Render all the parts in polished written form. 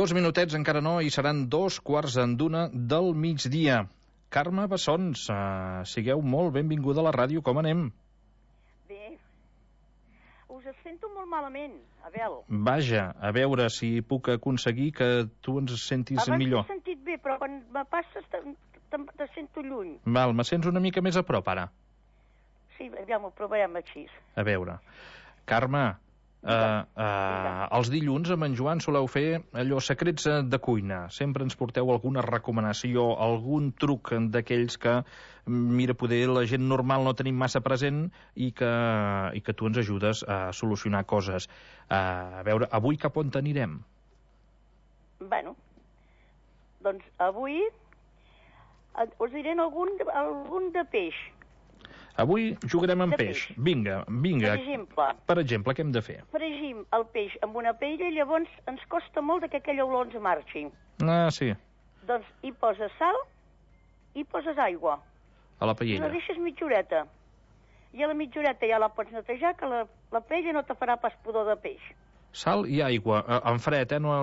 2 minutets, encara no, i seran 2:15 del migdia. Carme Bessons, sigueu molt benvinguda a la ràdio, com anem? Bé, us sento molt malament, Abel. Vaja, a veure si puc aconseguir que tu ens sentis millor. Abans t'he sentit bé, però quan me passes te sento lluny. Val, me sents una mica més a prop, ara? Sí, ja m'ho provarem així. A veure, Carme, els dilluns amb en Joan soleu fer allò secrets de cuina. Sempre ens porteu alguna recomanació, algun truc d'aquells que, mira, poder la gent normal no tenim massa present i que tu ens ajudes a solucionar coses. A veure, avui cap on anirem? Bueno, doncs avui us diré algun de peix. Avui jugarem amb peix. Vinga. Per exemple, què hem de fer? Fregim el peix amb una paella i llavors ens costa molt que aquella olor ens marxi. Ah, sí. Doncs hi poses sal i poses aigua. A la I paella. la deixes mitja horeta. I a la mitja horeta ja la pots netejar, que la paella no te farà pas pudor de peix. Sal i aigua, en fred, no,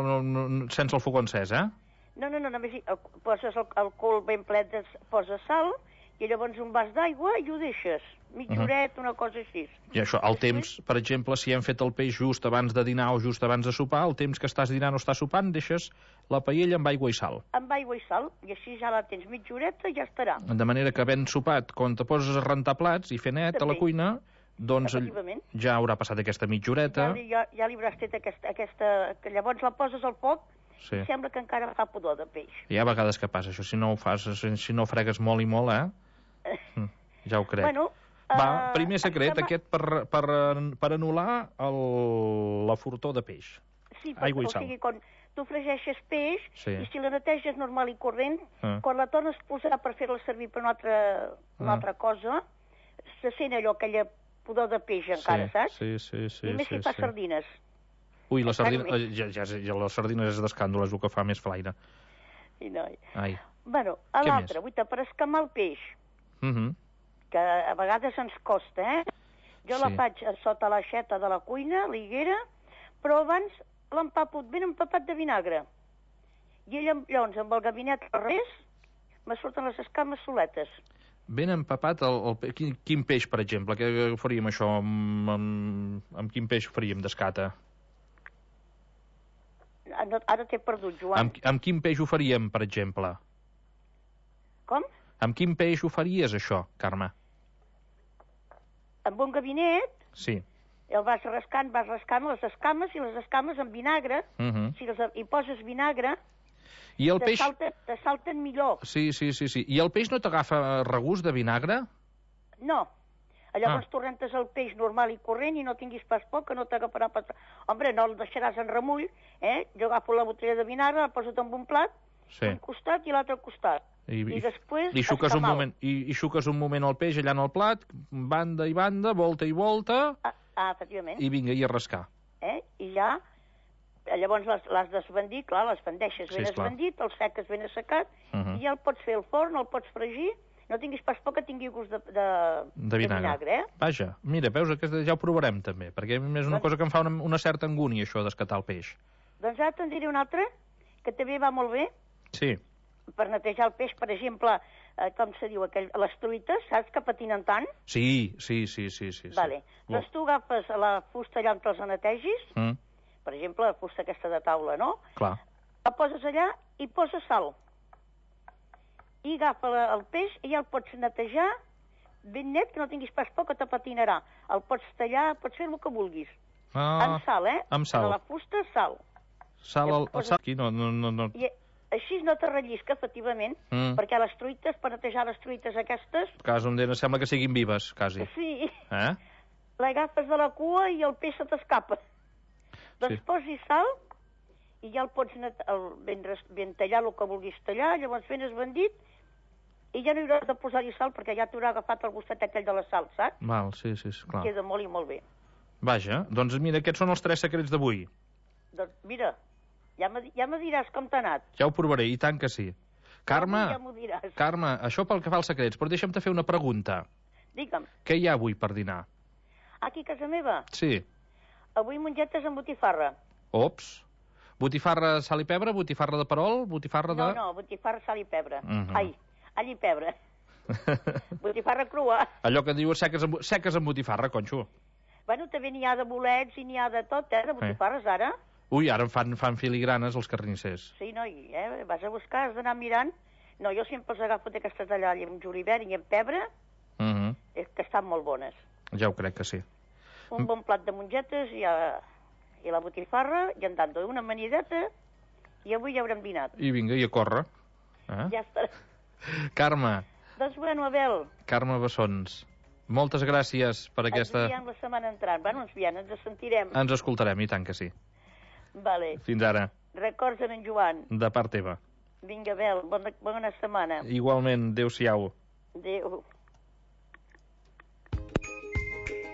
sense el foc encès, eh? No, només poses el cul ben ple, poses sal i llavors un vas d'aigua i ho deixes. Mitja horeta, una cosa així. I això, el temps, per exemple, si hem fet el peix just abans de dinar o just abans de sopar, el temps que estàs dinant o estàs sopant, deixes la paella amb aigua i sal. Amb aigua i sal, i així ja la tens mitja horeta i ja estarà. De manera que havent sopat, quan te poses a rentar plats i fer net a la cuina, doncs ja haurà passat aquesta mitja horeta. Ja li hauràs fet aquesta... que llavors la poses al foc i sembla que encara fa pudor de peix. Hi ha vegades que passa això, si no ho fas, si no fregues molt i molt, ja ho crec. Bueno, va, primer secret, aquest per anul·lar la fortor de peix. Sí, aigua i sal. O sigui, quan tu fregeixes peix i si la neteges normal i corrent, quan la tornes a posar per fer-la servir per una altra cosa, se sent allò, aquella pudor de peix encara, saps? Sí. I més si fas sardines. Ui, les sardines és d'escàndol, és el que fa més flaire. I no. Ai. Bueno, a l'altre, per escamar el peix, que a vegades ens costa, jo la faig sota l'aixeta de la cuina, l'higuera, però abans l'empapo ben empapat de vinagre. I llavors, amb el gabinet al revés, me surten les escames soletes. Ben empapat, quin peix, per exemple? Què faríem això? Amb quin peix faríem d'escata? Ara t'he perdut, Joan. Amb quin peix ho faríem, per exemple? Com? Amb quin peix ho faries, això, Carme? Amb un gabinet? Sí. El vas rascant les escames, i les escames amb vinagre, si hi poses vinagre, i el peix... te salten millor. Sí. I el peix no t'agafa regust de vinagre? No. Llavors tu rentes el peix normal i corrent i no tinguis pas por, que no t'agafarà pas... Hombre, no el deixaràs en remull, Jo agafo la botella de vinagre, la poso en un plat, un costat i l'altre costat. I després escamal. I xuques un moment el peix allà en el plat, banda i banda, volta i volta... efectivament. I vinga, i a rascar. I ja... Llavors l'has desbandit, clar, les bandeixes ben esbandit, el seques ben assecat, i ja el pots fer al forn, el pots fregir, no tinguis pas por que tingui gust de vinagre, Vaja, mira, veus, ja ho provarem també, perquè és una cosa que em fa una certa angúnia, això d'escatar el peix. Doncs ara te'n diré una altra, que també va molt bé. Sí. Per netejar el peix, per exemple, com se diu, les truites, saps que patinen tant? Sí. Vale. Doncs tu agafes la fusta allà on te'ls netegis, per exemple, la fusta aquesta de taula, no? Clar. La poses allà i poses sal. I agafa el peix i ja el pots netejar ben net, que no tinguis pas por que te patinarà. El pots tallar, pots fer el que vulguis. Amb sal, Amb sal. A la fusta, sal. Sal aquí, no. I així no te rellisca, efectivament, perquè les truites, per netejar les truites aquestes... Cas on sembla que siguin vives, quasi. Sí. L'agafes de la cua i el peix se t'escapa. Doncs posi sal i ja el pots ben tallar el que vulguis tallar, llavors ben esbandit, i ja no hi hauràs de posar-hi sal perquè ja t'haurà agafat el gustet aquell de la sal, saps? Val, sí, clar. Queda molt i molt bé. Vaja, doncs mira, aquests són els 3 secrets d'avui. Doncs mira, ja me diràs com t'ha anat. Ja ho provaré, i tant que sí. Carme, ja m'ho diràs. Carme, això pel que fa als secrets, però deixa'm-te fer una pregunta. Digue'm. Què hi ha avui per dinar? Aquí a casa meva? Sí. Avui mongetes amb botifarra. Ops. Botifarra, sal i pebre, botifarra de perol, botifarra de... No, botifarra, sal i pebre. Ai, all i pebre. Botifarra crua. Allò que diu seques amb botifarra, conxo. Bueno, també n'hi ha de bolets i n'hi ha de tot, de botifarres, ara. Ui, ara fan filigranes els carnissers. Sí, noi, vas a buscar, has d'anar mirant. No, jo sempre els agafo d'aquesta tallalla amb julivert i amb pebre, que estan molt bones. Ja ho crec que sí. Un bon plat de mongetes i la botifarra, i en tant una amanideta, i avui ja haurem dinat. I vinga, i a córrer. Ja estarà. Carme. Doncs bueno, Abel. Carme Bessons. Moltes gràcies per aquesta... Ens veiem la setmana entrant. Bueno, ens sentirem. Ens escoltarem, i tant que sí. Vale. Fins ara. Records en Joan. De part teva. Vinga, Abel, bona setmana. Igualment, adéu-siau. Adéu.